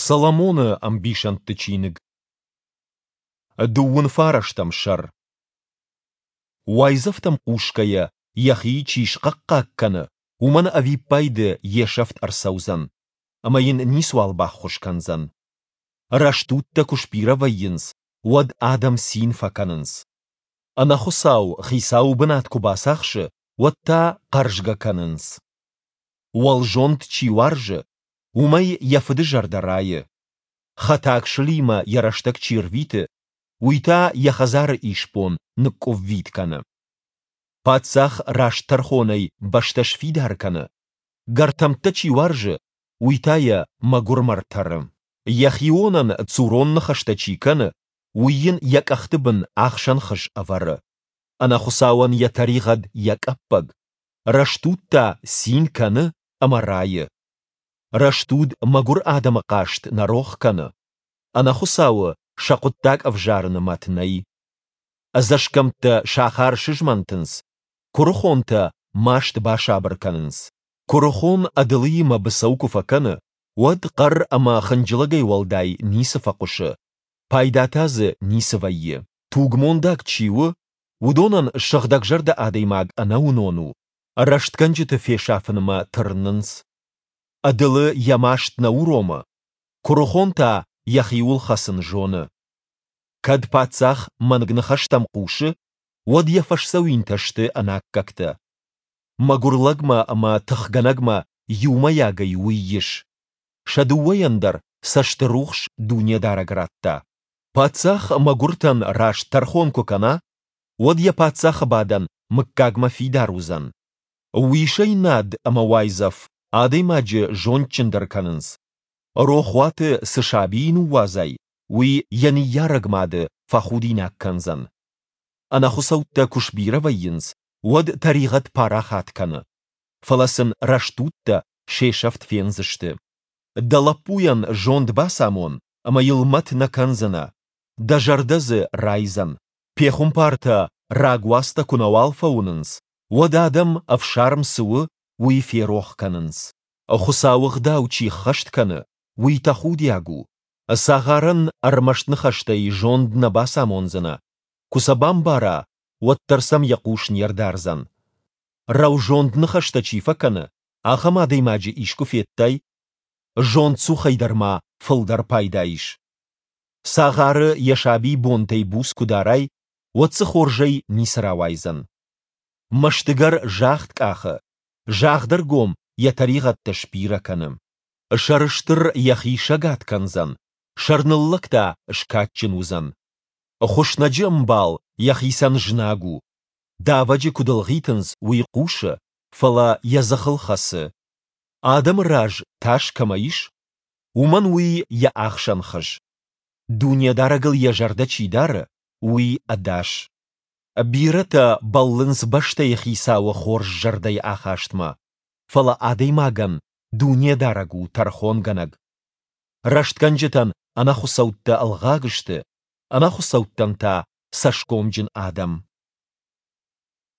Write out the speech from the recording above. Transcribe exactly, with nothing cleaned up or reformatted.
Соломоны ӕмбисӕндты чиныг. Дыууын фарӕстӕм сӕр. Уайдзӕфтӕм хъусгӕйӕ йӕхи чи схъӕхъхъаг кӕны, уымӕн ӕвиппайды йе сӕфт ӕрцӕудзӕн, ӕмӕ йын ницуал баххуыс кӕндзӕн. Рӕстудтӕ куы сбирӕ вӕййынц, уӕд адӕм цин фӕкӕнынц. Ӕнӕхуыцау хицауы бынат куы бацахсы, уӕд та хъӕрзгӕ кӕнынц. Уӕлзонд чи уарзы, уымӕй йӕ фыды зӕрдӕ райы. Хӕтаг сылимӕ йӕ рӕстӕг чи рвиты, уый та йӕ хӕдзары исбон ныкъкъуыввитт кӕны. Паддзах раст тӕрхонӕй бӕстӕ сфидар кӕны, гӕртӕмттӕ чи уарзы, уый та йӕ мӕгуырмӕ ртӕры. Йӕ хионӕн цурон ныхӕстӕ чи кӕны, уый йын йӕ къӕхты бын ахсӕн хыз ӕвӕры. Ӕнӕхуыцауӕн йӕ тӕригъӕд йӕ къӕппӕг, рӕстуд та цин кӕны ӕмӕ райы. Рӕстуд мӕгуыр адӕмы хъаст нӕ рох кӕны. Ӕнӕхуыцауы сӕ хъуыддаг ӕвзарыны мӕт нӕй. Ӕдзӕсгӕмттӕ сахар сызмӕнтынц, куырыхонтӕ маст басабыр кӕнынц. Куырыхон ӕдылыимӕ быцӕу куы фӕкӕны, уӕд хъӕр ӕмӕ хынджылӕгӕй уӕлдай ницы фӕхъуысы, пайда та дзы ницы вӕййы. Тугмондаг чи у, уыдонӕн сыгъдӕгзӕрдӕ адӕймаг ӕнӕуынон у, рӕстгӕнджыты фесафынмӕ тырнынц. Ӕдылы йӕ маст нӕ уромы, куырыхон та йӕхиуыл хӕцын зоны. Кӕд паддзах мӕнг ныхӕстӕм хъусы, уӕд йӕ фӕсдзӕуинтӕ сты ӕнаккӕгтӕ. Мӕгуыр лӕгмӕ ӕмӕ тыхгӕнӕгмӕ иумӕйагӕй уый ис. Сӕ дыууӕйӕн дӕр цӕстырухс Дунедарӕг радта. Паддзах мӕгуыртӕн раст тӕрхон куы кӕна, уӕд йӕ паддзахы бадӕн мыггагмӕ фидар уыдзӕн. Уисӕй над ӕмӕ уайдзӕф адӕймаджы зондджындӕр кӕнынц. Рохуаты цы сабийы ныууадзай, уый йӕ ныййарӕг мады фӕхудинаг кӕндзӕн. Ӕнӕхуыцӕуттӕ куы сбирӕ вӕййынц, уӕд тӕригъӕд парахат кӕны, фӕлӕ сын рӕстудтӕ се сӕфт фендзысты. Дӕ лӕппуйӕн зонд бацамон, ӕмӕ йыл мӕт нӕ кӕндзынӕ, дӕ зӕрдӕ дзы райдзӕн. Пехуымпартӕ рагуацтӕ куы нӕуал фӕуынынц, уӕд адӕм, ӕфсарм цы у, уый ферох кӕнынц. Хуыцауы гъдау чи ххӕст кӕны, уый тӕхудиаг у. Цагъарӕн ӕрмӕст ныхӕстӕй зонд нӕ бацамондзынӕ, куы сӕ бамбара, уӕддӕр сӕм йӕ хъус не рдардзӕн. Рӕузонд ныхӕстӕ чи фӕкӕны, ахӕм адӕймаджы искуы федтай? Зондцухӕй дӕр ма фылдӕр пайда ис. Цагъары йӕ сабийы бонтӕй буц куы дарай, уӕд дзы хорзӕй ницы рауайдзӕн. Мӕстыгӕр загъд къахы, загъдӕргом йӕ тӕригъӕдтӕ сбирӕ кӕны. Сӕрыстыр йӕхи сӕгад кӕндзӕн, сӕрныллӕг та скадджын уыдзӕн. Хуыснӕджы ӕмбал йӕхицӕн знаг у. Давӕджы куыд ӕлгъитынц, уый хъусы, фӕлӕ йӕ дзыхыл хӕцы. Адӕмы раз тас кӕмӕ ис, уымӕн уый йӕ ахсӕн хыз. Дунедарӕгыл йӕ зӕрдӕ чи дары, уый ӕдас. Бирӕтӕ бӕллынц бӕстӕйы хицауы хорз зӕрдӕйы ахастмӕ, фӕлӕ адӕймагӕн Дунедарӕг у тӕрхонгӕнӕг. Рӕстгӕнджытӕн ӕнӕхуыцӕуттӕ ӕлгъаг сты, ӕнӕхуыцӕуттӕн та цӕсгомджын адӕм.